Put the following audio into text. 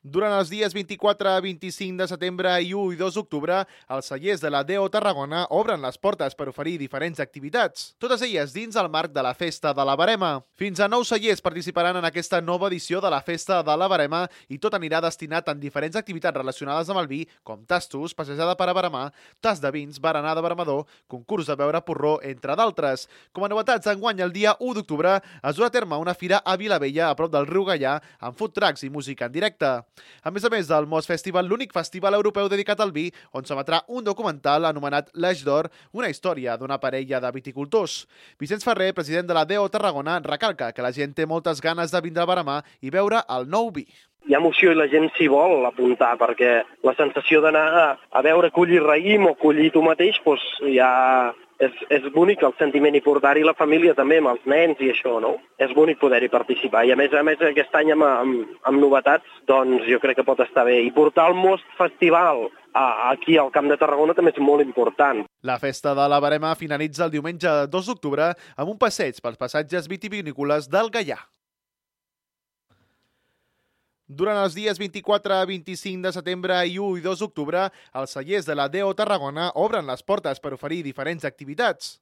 Durant els dies 24, 25 de setembre i 1 i 2 d'octubre, els cellers de la DO Tarragona obren les portes per oferir diferents activitats, totes elles dins el marc de la Festa de la Verema. Fins a 9 cellers participaran en aquesta nova edició de la Festa de la Verema i tot anirà destinat en diferents activitats relacionades amb el vi, com tastos, passejada per a veremar, tas de vins, berenar de veremador, concurs de beure porró, entre d'altres. Com a novetats, enguany el dia 1 d'octubre es durà a terme una fira a Vilavella, a prop del riu Gaià, amb food trucks i música en directe. A més del Mos Festival, l'únic festival europeu dedicat al vi, on s'emetrà un documental anomenat L'Eix d'Or, una història d'una parella de viticultors. Vicenç Ferrer, president de la DO Tarragona, recalca que la gent té moltes ganes de vindre a veremar i veure el nou vi. Hi ha emoció i la gent s'hi vol apuntar, perquè la sensació d'anar a veure collir raïm o collir tu mateix, doncs ja és bonic el sentiment i portar-hi la família també, amb els nens i això, no? És bonic poder-hi participar. I a més aquest any amb novetats, doncs jo crec que pot estar bé. I portar el Most Festival aquí al Camp de Tarragona també és molt important. La Festa de la Verema finalitza el diumenge 2 d'octubre amb un passeig pels passatges vitivinícoles del Gaià. Durant els dies 24, 25 de setembre i 1 i 2 d'octubre, els cellers de la DO Tarragona obren les portes per oferir diferents activitats.